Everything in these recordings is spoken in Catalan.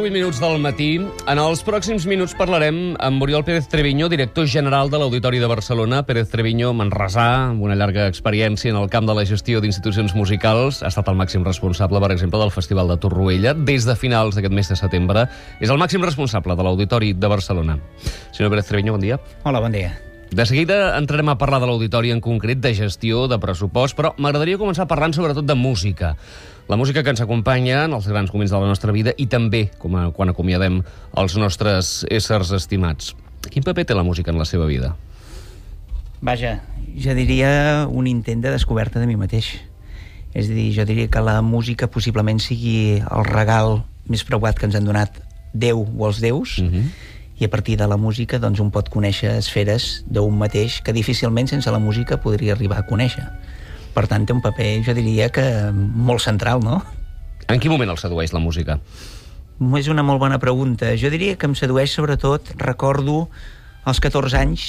8 minuts del matí. En els pròxims minuts parlarem amb Oriol Pérez Treviño, director general de l'Auditori de Barcelona. Pérez Treviño, manresà, amb una llarga experiència en el camp de la gestió d'institucions musicals. Ha estat el màxim responsable, per exemple, del Festival de Torroella. Des de finals d'aquest mes de setembre és el màxim responsable de l'Auditori de Barcelona. Senyor Pérez Treviño, bon dia. Hola, bon dia. De seguida entrarem a parlar de l'Auditori en concret, de gestió, de pressupost, però m'agradaria començar parlant sobretot de música. La música que ens acompanya en els grans moments de la nostra vida i també quan acomiadem els nostres éssers estimats. Quin paper té la música en la seva vida? Vaja, jo diria un intent de descoberta de mi mateix. És a dir, jo diria que la música possiblement sigui el regal més preuat que ens han donat Déu o els déus, i a partir de la música doncs, un pot conèixer esferes d'un mateix que difícilment sense la música podria arribar a conèixer. Per tant, té un paper, jo diria que molt central, no? En quin moment el sedueix la música? És una molt bona pregunta. Jo diria que em sedueix sobretot, recordo als 14 anys,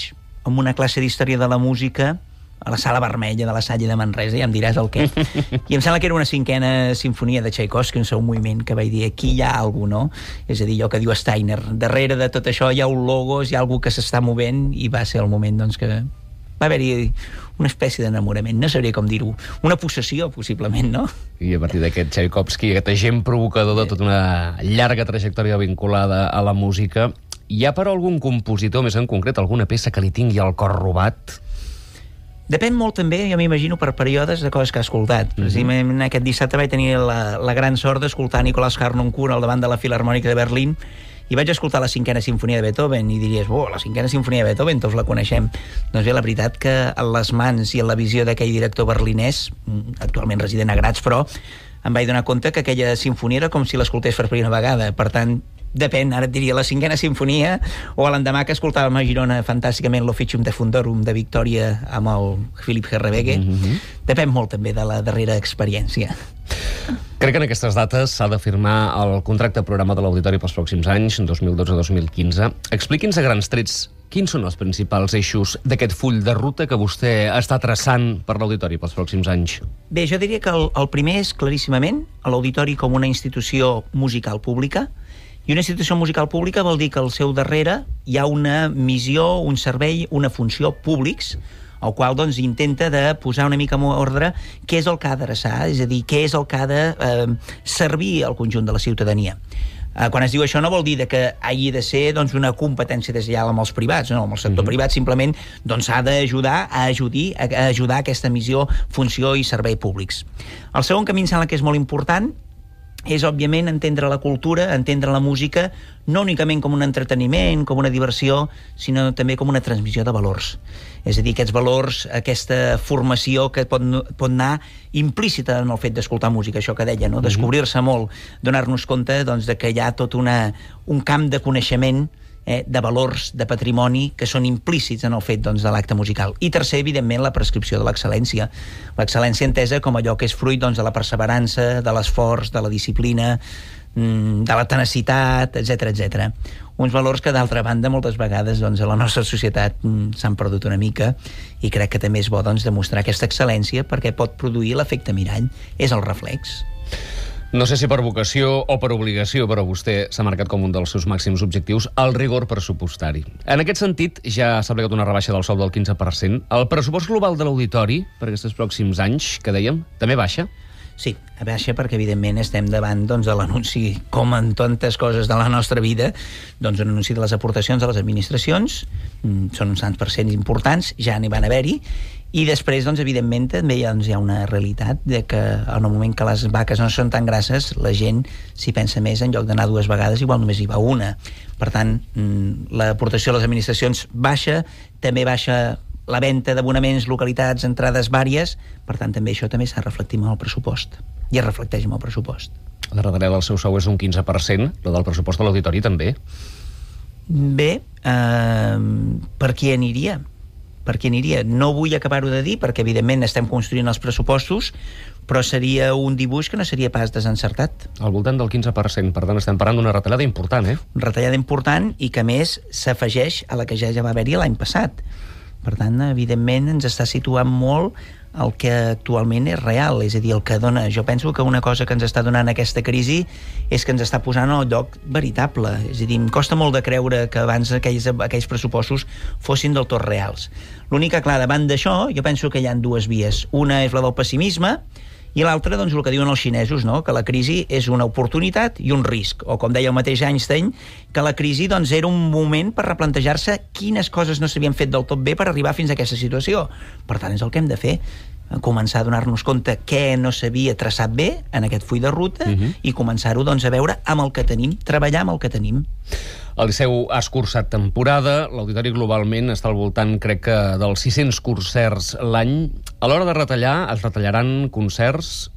amb una classe d'història de la música a la Sala Vermella de la Salle de Manresa, ja em diràs el què. I em sembla que era una 5a sinfonia de Tchaikovsky, un moviment que vaig dir, aquí hi ha alguna cosa, no? És a dir, allò que diu Steiner, darrere de tot això hi ha un logos, hi ha algú que s'està movent, i va ser el moment doncs, que va haver-hi una espècie d'enamorament, no sabria com dir-ho, una possessió, possiblement, no? I a partir d'aquest Tchaikovsky, aquest agent provocador de tota una llarga trajectòria vinculada a la música, hi ha però algun compositor, més en concret, alguna peça que li tingui el cor robat? Depèn molt també, jo m'imagino, per períodes de coses que ha escoltat. Precisament aquest dissabte vaig tenir la gran sort d'escoltar Nicolás Harnoncourt al davant de la Filharmònica de Berlín, i vaig escoltar la 5a sinfonia de Beethoven, i diries, la 5a sinfonia de Beethoven, tots la coneixem. Doncs bé, la veritat que en les mans i en la visió d'aquell director berlinès, actualment resident a Graz, però em vaig donar compte que aquella sinfonia era com si l'escoltés per primera vegada. Per tant, depèn, ara et diria la 5a sinfonia, o a l'endemà que escoltàvem a Girona fantàsticament l'Officium de Fundorum de Victòria amb el Philipp Herreweghe. Depèn molt també de la darrera experiència. Crec que en aquestes dates s'ha de firmar el contracte programa de l'Auditori pels pròxims anys, 2012-2015. Expliqui'ns a grans trets quins són els principals eixos d'aquest full de ruta que vostè està traçant per l'Auditori pels pròxims anys. Bé, jo diria que el primer és claríssimament l'Auditori com una institució musical pública. I una institució musical pública vol dir que al seu darrere hi ha una missió, un servei, una funció públics, el qual doncs, intenta de posar una mica en ordre què és el que ha d'adreçar, és a dir, què és el que ha de servir al conjunt de la ciutadania. Quan es diu això no vol dir que hagi de ser doncs, una competència deslleial amb els privats, no, amb el sector privat simplement doncs, ha d'ajudar a ajudar aquesta missió, funció i servei públics. El segon camí em sembla que és molt important és, òbviament, entendre la cultura, entendre la música, no únicament com un entreteniment, com una diversió, sinó també com una transmissió de valors. És a dir, aquests valors, aquesta formació que pot anar implícita en el fet d'escoltar música, això que deia, no? Descobrir-se molt, donar-nos compte doncs, de que hi ha tot un camp de coneixement, de valors, de patrimoni, que són implícits en el fet doncs, de l'acte musical. I tercer, evidentment, la prescripció de l'excel·lència. L'excel·lència entesa com allò que és fruit doncs, de la perseverança, de l'esforç, de la disciplina, de la tenacitat, etc. Uns valors que, d'altra banda, moltes vegades doncs, a la nostra societat s'han perdut una mica, i crec que també és bo doncs, demostrar aquesta excel·lència perquè pot produir l'efecte mirall. És el reflex. No sé si per vocació o per obligació, però vostè s'ha marcat com un dels seus màxims objectius el rigor pressupostari. En aquest sentit, ja s'ha aplicat una rebaixa del sou del 15%. El pressupost global de l'Auditori per aquests pròxims anys, que dèiem, també baixa? Sí, baixa perquè, evidentment, estem davant doncs, de l'anunci, com en tantes coses de la nostra vida, doncs un anunci de les aportacions de les administracions, són uns tants percents importants, ja n'hi van haver-hi, i després, doncs, evidentment, també hi ha una realitat de que en el moment que les vaques no són tan grasses, la gent s'hi pensa més, en lloc d'anar 2 vegades, igual només hi va una. Per tant, l'aportació a les administracions baixa, també baixa la venda d'abonaments, localitats, entrades vàries, per tant, també això també s'ha reflectit en el pressupost, i es reflecteix en el pressupost. La retallada del seu sou és un 15%, la del pressupost de l'Auditori també? Bé, per qui aniria? No vull acabar-ho de dir, perquè evidentment estem construint els pressupostos, però seria un dibuix que no seria pas desencertat. Al voltant del 15%, per tant estem parlant d'una retallada important, Una retallada important i que, a més, s'afegeix a la que ja va haver-hi l'any passat. Per tant, evidentment, ens està situant molt el que actualment és real, és a dir, el que dona... Jo penso que una cosa que ens està donant aquesta crisi és que ens està posant al lloc veritable. És a dir, em costa molt de creure que abans aquells pressupostos fossin del tot reals. L'únic que, clar, davant d'això, jo penso que hi ha dues vies. Una és la del pessimisme, i l'altra, doncs, el que diuen els xinesos, no? Que la crisi és una oportunitat i un risc. O, com deia el mateix Einstein, que la crisi doncs, era un moment per replantejar-se quines coses no s'havien fet del tot bé per arribar fins a aquesta situació. Per tant, és el que hem de fer, començar a donar-nos compte què no s'havia traçat bé en aquest full de ruta i començar-ho doncs, a veure amb el que tenim, treballar amb el que tenim. El Liceu ha escurçat temporada, l'auditori globalment està al voltant, crec que, dels 600 concerts l'any. A l'hora de retallar, es retallaran concerts?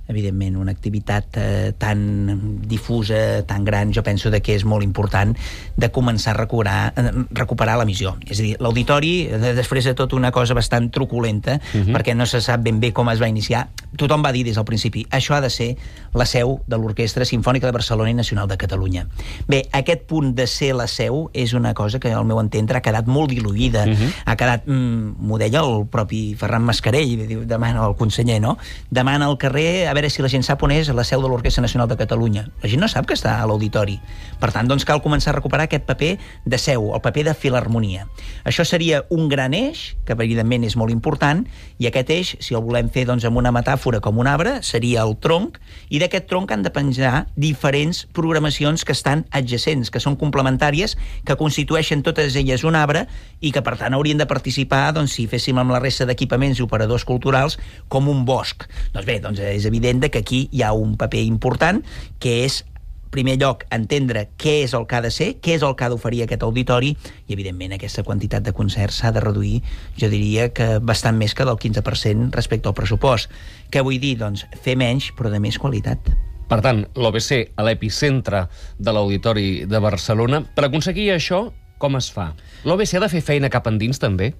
Evidentment, una activitat tan difusa, tan gran, jo penso que és molt important de començar a recuperar l'emissió. És a dir, l'auditori, després de tot una cosa bastant truculenta, perquè no se sap ben bé com es va iniciar, tothom va dir des del principi, això ha de ser la seu de l'Orquestra Simfònica de Barcelona i Nacional de Catalunya. Bé, aquest punt de ser la seu és una cosa que, al meu entendre, ha quedat molt diluïda. Ha quedat, m'ho deia el propi Ferran Mascarell, demana el conseller, no? Demana al carrer, a veure si la gent sap on és la seu de l'Orquestra Nacional de Catalunya. La gent no sap que està a l'auditori. Per tant, doncs cal començar a recuperar aquest paper de seu, el paper de filharmonia. Això seria un gran eix, que evidentment és molt important, i aquest eix, si el volem fer doncs, amb una metàfora com un arbre, seria el tronc, i d'aquest tronc han de penjar diferents programacions que estan adjacents, que són complementàries, que constitueixen totes elles un arbre, i que per tant haurien de participar, doncs, si féssim amb la resta d'equipaments i operadors culturals, com un bosc. Doncs bé, doncs és evident que aquí hi ha un paper important, que és, en primer lloc, entendre què és el que ha de ser, què és el que ha d'oferir aquest auditori, i evidentment aquesta quantitat de concerts s'ha de reduir, jo diria que bastant més que del 15% respecte al pressupost. Què vull dir? Doncs fer menys, però de més qualitat. Per tant, l'OBC a l'epicentre de l'Auditori de Barcelona. Per aconseguir això, com es fa? L'OBC ha de fer feina cap endins, també?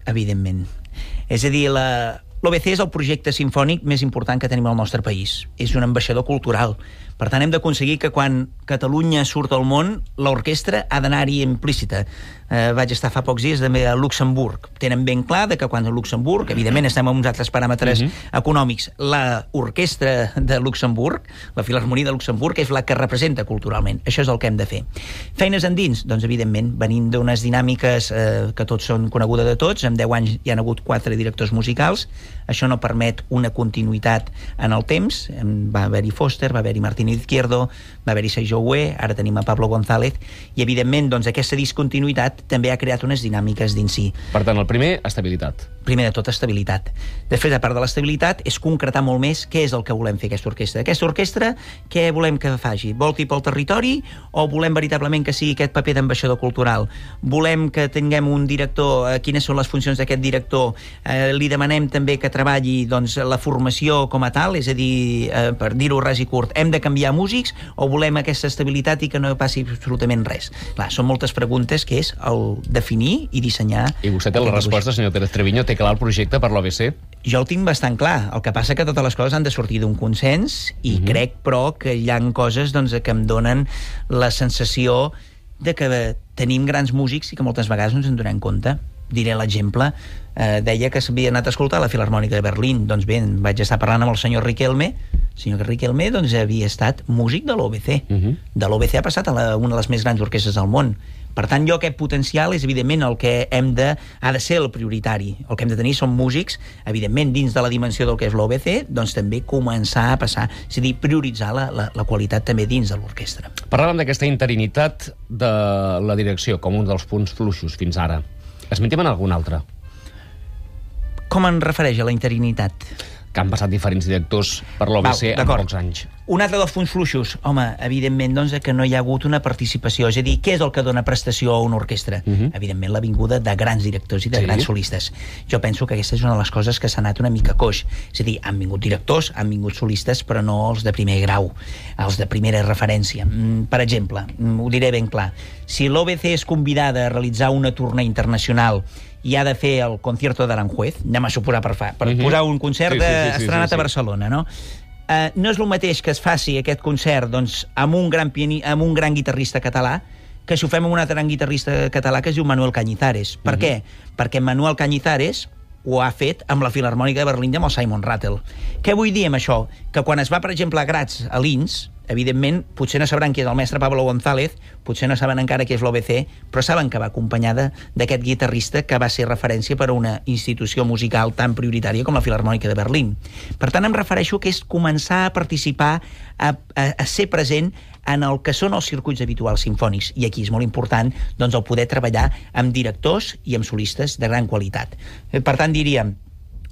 Evidentment. És a dir, l'OBC és el projecte simfònic més important que tenim al nostre país. És un ambaixador cultural. Per tant, hem d'aconseguir que quan Catalunya surt al món, l'orquestra ha d'anar-hi implícita. Vaig estar fa pocs dies també a Luxemburg. Tenen ben clar que quan a Luxemburg, evidentment estem amb uns altres paràmetres econòmics, l'orquestra de Luxemburg, la Filharmonia de Luxemburg, és la que representa culturalment. Això és el que hem de fer. Feines endins? Doncs, evidentment, venint d'unes dinàmiques que tots són conegudes de tots. En 10 anys hi ha hagut 4 directors musicals. Això no permet una continuïtat en el temps. Va haver-hi Foster, va haver-hi Martín Izquierdo, va haver-hi Sergio Hué, ara tenim a Pablo González, i evidentment doncs, aquesta discontinuïtat també ha creat unes dinàmiques dins si. Per tant, el primer, estabilitat. Primer de tot, estabilitat. Després, a part de l'estabilitat, és concretar molt més què és el que volem fer aquesta orquestra. Aquesta orquestra, què volem que faci? Volti pel territori o volem veritablement que sigui aquest paper d'ambaixador cultural? Volem que tinguem un director, quines són les funcions d'aquest director? Li demanem també que treballi doncs, la formació com a tal, és a dir, per dir-ho ras i curt, hem de canviar músics o volem aquesta estabilitat i que no passi absolutament res? Clar, són moltes preguntes que és el definir i dissenyar. I vostè té la resposta, senyor Pérez Treviño? Té clar el projecte per l'OBC? Jo el tinc bastant clar. El que passa que totes les coses han de sortir d'un consens i crec, però, que hi ha coses doncs, que em donen la sensació de que tenim grans músics i que moltes vegades no ens en donem compte. Diré l'exemple. Deia que s'havia anat a escoltar la Filharmònica de Berlín. Doncs bé, vaig estar parlant amb el senyor Riquelme. El senyor Riquelme doncs, havia estat músic de l'OBC. De l'OBC ha passat a una de les més grans orquestres del món. Per tant, jo aquest potencial és, evidentment, el que ha de ser el prioritari. El que hem de tenir són músics, evidentment, dins de la dimensió del que és l'OBC, doncs també començar a passar, és a dir, prioritzar la qualitat també dins de l'orquestra. Parlàvem d'aquesta interinitat de la direcció com un dels punts fluixos fins ara. Esmentem en algun altre? Com en refereix a la interinitat? Que han passat diferents directors per l'OBC en pocs anys. Un altre dels punts fluixos, home, evidentment, doncs, que no hi ha hagut una participació. És a dir, què és el que dona prestació a una orquestra? Evidentment, la vinguda de grans directors i de grans solistes. Jo penso que aquesta és una de les coses que s'ha anat una mica coix. És a dir, han vingut directors, han vingut solistes, però no els de primer grau, els de primera referència. Per exemple, ho diré ben clar, si l'OBC és convidada a realitzar una tournée internacional i ha de fer el concierto d'Aranjuez, anem a suposar per posar un concert estrenat a Barcelona, no? No és el mateix que es faci aquest concert doncs, amb un gran guitarrista català que si ho fem amb un altre gran guitarrista català que es diu Manuel Cañizares. Per què? Perquè Manuel Cañizares ho ha fet amb la Filharmònica de Berlín i amb el Simon Rattle. Què vull dir amb això? Que quan es va, per exemple, a Graz, a Linz, evidentment, potser no sabran qui és el mestre Pablo González, potser no saben encara qui és l'OBC, però saben que va acompanyada d'aquest guitarrista que va ser referència per a una institució musical tan prioritària com la Filharmònica de Berlín. Per tant, em refereixo que és començar a participar, a ser present en el que són els circuits habituals simfònics. I aquí és molt important doncs, el poder treballar amb directors i amb solistes de gran qualitat. Per tant, diríem,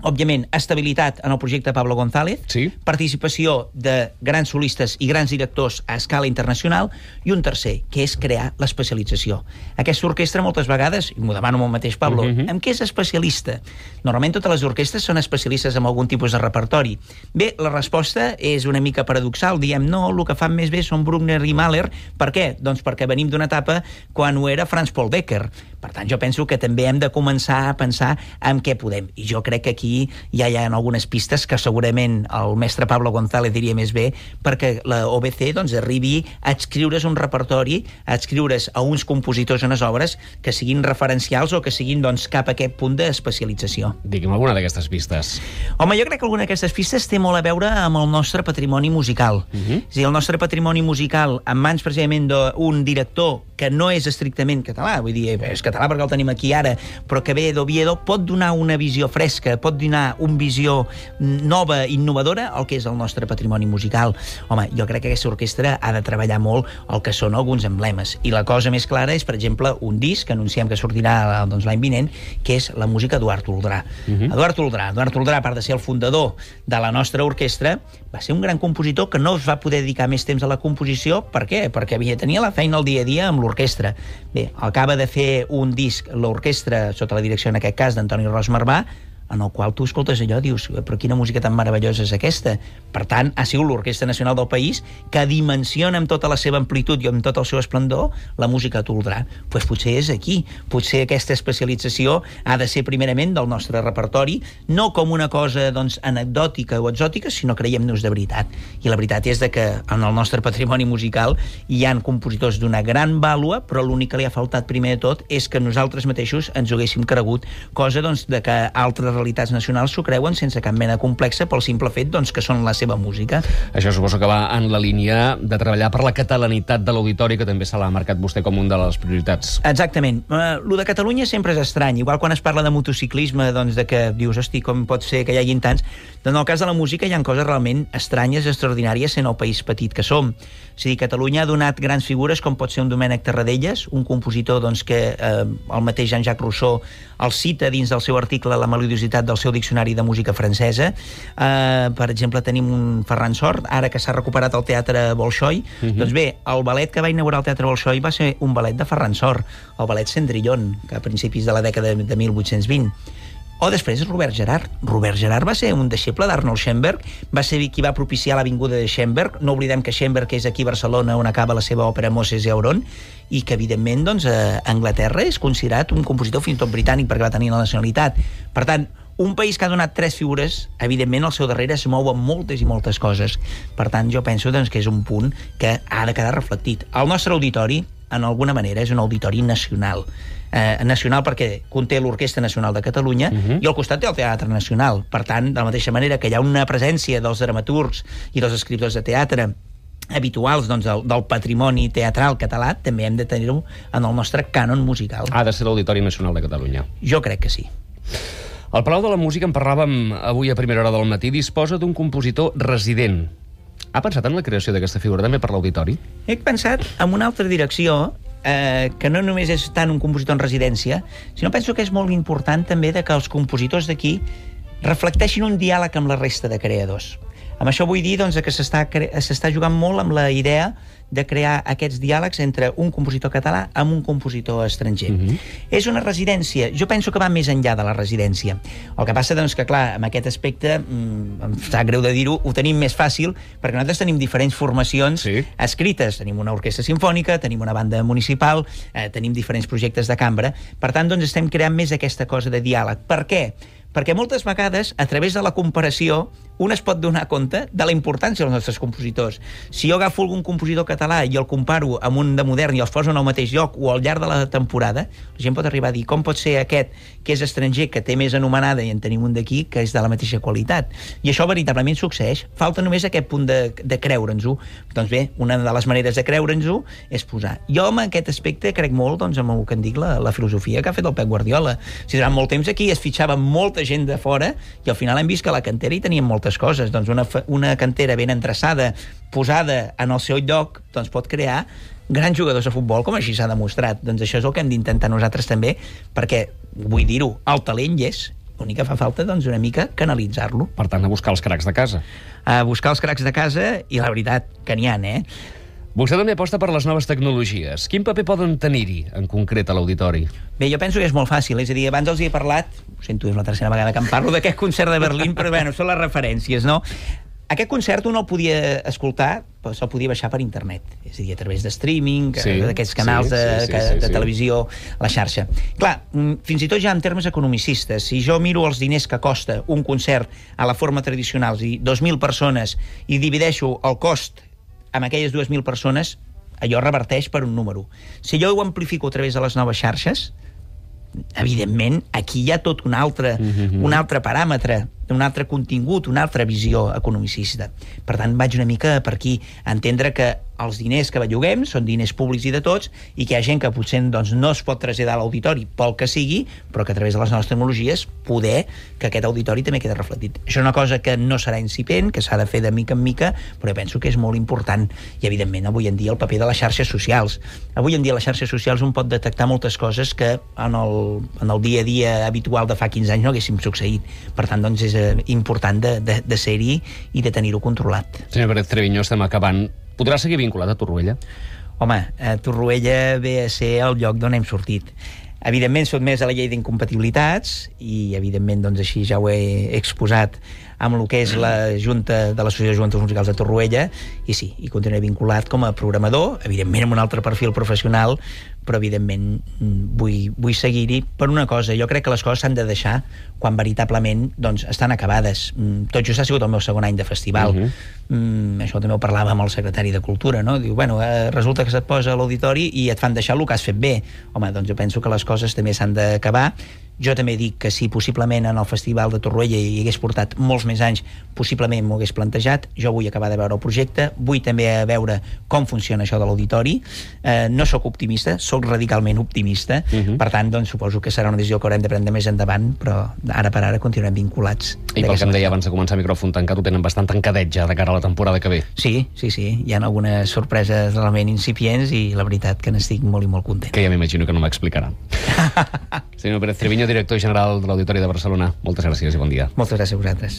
òbviament, estabilitat en el projecte Pablo González, sí. Participació de grans solistes i grans directors a escala internacional, i un tercer, que és crear l'especialització. Aquesta orquestra, moltes vegades, i m'ho demano amb el mateix Pablo, en què és especialista? Normalment totes les orquestres són especialistes en algun tipus de repertori. Bé, la resposta és una mica paradoxal. Diem, no, el que fan més bé són Bruckner i Mahler. Per què? Doncs perquè venim d'una etapa quan ho era Franz Paul Becker. Per tant, jo penso que també hem de començar a pensar en què podem. I jo crec que aquí ja hi ha algunes pistes que segurament el mestre Pablo González diria més bé, perquè la OBC doncs, arribi a adscriure's un repertori, a adscriure's a uns compositors unes obres que siguin referencials o que siguin doncs, cap a aquest punt d'especialització. Digui'm alguna d'aquestes pistes. Home, jo crec que alguna d'aquestes pistes té molt a veure amb el nostre patrimoni musical. És a dir, el nostre patrimoni musical en mans precisament d'un director que no és estrictament català, vull dir, és català perquè el tenim aquí ara, però que ve d'Oviedo, pot donar una visió fresca, pot donar una visió nova, innovadora, al que és el nostre patrimoni musical. Home, jo crec que aquesta orquestra ha de treballar molt el que són alguns emblemes. I la cosa més clara és, per exemple, un disc que anunciem que sortirà doncs, l'any vinent, que és la música d'Eduard Toldrà. Eduard Toldrà, a part de ser el fundador de la nostra orquestra, va ser un gran compositor que no es va poder dedicar més temps a la composició. Per què? Perquè tenia la feina al dia a dia amb l'orquestra. Bé, acaba de fer un disc, l'orquestra, sota la direcció, en aquest cas, d'Antoni Ros Marvà, en el qual tu escoltes allò i dius, però quina música tan meravellosa és aquesta? Per tant, ha sigut l'Orquestra Nacional del país que dimensiona amb tota la seva amplitud i amb tot el seu esplendor la música a Toldrà. Doncs potser és aquí. Potser aquesta especialització ha de ser primerament del nostre repertori, no com una cosa doncs, anecdòtica o exòtica, sinó creiem-nos de veritat. I la veritat és que en el nostre patrimoni musical hi ha compositors d'una gran vàlua, però l'únic que li ha faltat primer de tot és que nosaltres mateixos ens ho haguéssim cregut, cosa doncs, de que altres realitats nacionals s'ho creuen sense cap mena complexa pel simple fet doncs, que són la seva música. Això suposo que va en la línia de treballar per la catalanitat de l'auditori, que també se l'ha marcat vostè com una de les prioritats. Exactament. Lo de Catalunya sempre és estrany. Igual quan es parla de motociclisme, doncs de que dius, hosti, com pot ser que hi hagin tants? Doncs en el cas de la música hi ha coses realment estranyes, extraordinàries, sent el país petit que som. És a dir, Catalunya ha donat grans figures com pot ser un Domènec Tarradellas, un compositor doncs, que el mateix Jean-Jacques Rousseau el cita dins del seu article La melodiositat del seu diccionari de música francesa. Per exemple, tenim un Ferran Sort, ara que s'ha recuperat el Teatre Bolxoi. Doncs bé, el ballet que va inaugurar el Teatre Bolxoi va ser un ballet de Ferran Sort, el ballet Cendrillon, que a principis de la dècada de 1820. O després Robert Gerhard. Robert Gerhard va ser un deixeble d'Arnold Schoenberg, va ser qui va propiciar la vinguda de Schoenberg. No oblidem que Schoenberg és aquí a Barcelona on acaba la seva òpera Moses i Auron, i que evidentment doncs, a Anglaterra és considerat un compositor fins i tot britànic perquè va tenir la nacionalitat. Per tant, un país que ha donat tres figures, evidentment al seu darrere es mouen moltes i moltes coses. Per tant, jo penso doncs, que és un punt que ha de quedar reflectit. El nostre auditori, en alguna manera, és un auditori nacional. Nacional perquè conté l'Orquestra Nacional de Catalunya i al costat té el Teatre Nacional. Per tant, de la mateixa manera que hi ha una presència dels dramaturgs i dels escriptors de teatre habituals doncs, del patrimoni teatral català, també hem de tenir-ho en el nostre cànon musical. Ha de ser l'Auditori Nacional de Catalunya. Jo crec que sí. El Palau de la Música, en parlàvem avui a primera hora del matí, disposa d'un compositor resident. Ha pensat en la creació d'aquesta figura també per l'auditori? He pensat en una altra direcció, que no només és tant un compositor en residència, sinó penso que és molt important també de que els compositors d'aquí reflecteixin un diàleg amb la resta de creadors. Amb això vull dir doncs, que s'està jugant molt amb la idea de crear aquests diàlegs entre un compositor català amb un compositor estranger. És una residència, jo penso que va més enllà de la residència. El que passa doncs, que, clar, amb aquest aspecte, em sap greu de dir-ho, ho tenim més fàcil, perquè nosaltres tenim diferents formacions escrites. Tenim una orquestra simfònica, tenim una banda municipal, tenim diferents projectes de cambra. Per tant, doncs, estem creant més aquesta cosa de diàleg. Per què? Perquè moltes vegades, a través de la comparació, un es pot donar compte de la importància dels nostres compositors. Si jo agafo algun compositor català i el comparo amb un de modern i els poso en el mateix lloc o al llarg de la temporada, la gent pot arribar a dir com pot ser aquest que és estranger, que té més anomenada, i en tenim un d'aquí que és de la mateixa qualitat. I això veritablement succeeix. Falta només aquest punt de creure'ns-ho. Doncs bé, una de les maneres de creure'ns-ho és posar. Jo en aquest aspecte crec molt doncs, amb el que en dic la filosofia que ha fet el Pep Guardiola. Si durant molt temps aquí es fitxava molta gent de fora i al final hem vist que a la cantera hi teníem moltes coses. Doncs una cantera ben endreçada, posada en el seu lloc, doncs pot crear grans jugadors de futbol, com així s'ha demostrat. Doncs això és el que hem d'intentar nosaltres també, perquè, vull dir-ho, el talent hi és. L'únic que fa falta, doncs, una mica canalitzar-lo. Per tant, a buscar els cracs de casa. A buscar els cracs de casa, i la veritat que n'hi ha, Vostè també aposta per les noves tecnologies. Quin paper poden tenir-hi, en concret, a l'auditori? Bé, jo penso que és molt fàcil. És a dir, abans els hi he parlat, ho sento, és la tercera vegada que em parlo d'aquest concert de Berlín, però bueno, són les referències, no? Aquest concert un el podia escoltar, però se'l podia baixar per internet, és a dir, a través de streaming, d'aquests canals de televisió, la xarxa. Clar, fins i tot ja en termes economicistes, si jo miro els diners que costa un concert a la forma tradicional, i 2.000 persones, i divideixo el cost amb aquelles 2.000 persones, allò reverteix per un número. Si jo ho amplifico a través de les noves xarxes, evidentment, aquí hi ha tot un altre paràmetre, un altre contingut, una altra visió economicista. Per tant, vaig una mica per aquí a entendre que els diners que belluguem són diners públics i de tots, i que hi ha gent que potser doncs, no es pot traslladar a l'auditori pel que sigui, però que a través de les noves tecnologies poder que aquest auditori també quedi reflectit. Això és una cosa que no serà incipient, que s'ha de fer de mica en mica, però jo penso que és molt important. I, evidentment, avui en dia el paper de les xarxes socials. Avui en dia les xarxes socials un pot detectar moltes coses que en el dia a dia habitual de fa 15 anys no haguéssim succeït. Per tant, doncs, és important de ser-hi i de tenir-ho controlat. Senyor Pérez Treviño, estem acabant. Podrà seguir vinculat a Torroella? Home, Torroella ve a ser el lloc d'on hem sortit. Evidentment, sotmès a la llei d'incompatibilitats i, evidentment, doncs així ja ho he exposat amb el que és la Junta de l'Associació de Joventuts Musicals de Torroella, i sí, hi continuaré vinculat com a programador, evidentment amb un altre perfil professional, però evidentment vull seguir-hi per una cosa. Jo crec que les coses s'han de deixar quan veritablement doncs, estan acabades. Tot just ha sigut el meu segon any de festival. Això també ho parlava amb el secretari de Cultura, no? Diu, bueno, resulta que se't posa a l'auditori i et fan deixar el que has fet bé. Home, doncs jo penso que les coses també s'han d'acabar. Jo també dic que si possiblement en el Festival de Torroella hi hagués portat molts més anys, possiblement m'ho hagués plantejat. Jo vull acabar de veure el projecte, vull també veure com funciona això de l'auditori. No sóc optimista, sóc radicalment optimista. Per tant, doncs, suposo que serà una decisió que haurem de prendre més endavant, però ara per ara continuem vinculats. I pel que em deia abans de començar micròfon tancat, ho tenen bastant tancadet ja de cara a la temporada que ve. Sí. Hi ha algunes sorpreses realment incipients i la veritat que n'estic molt i molt content. Que ja m'imagino que no m'explicarà. Senyor Pérez Treviño, director general de l'Auditori de Barcelona, moltes gràcies i bon dia. Moltes gràcies a vosaltres.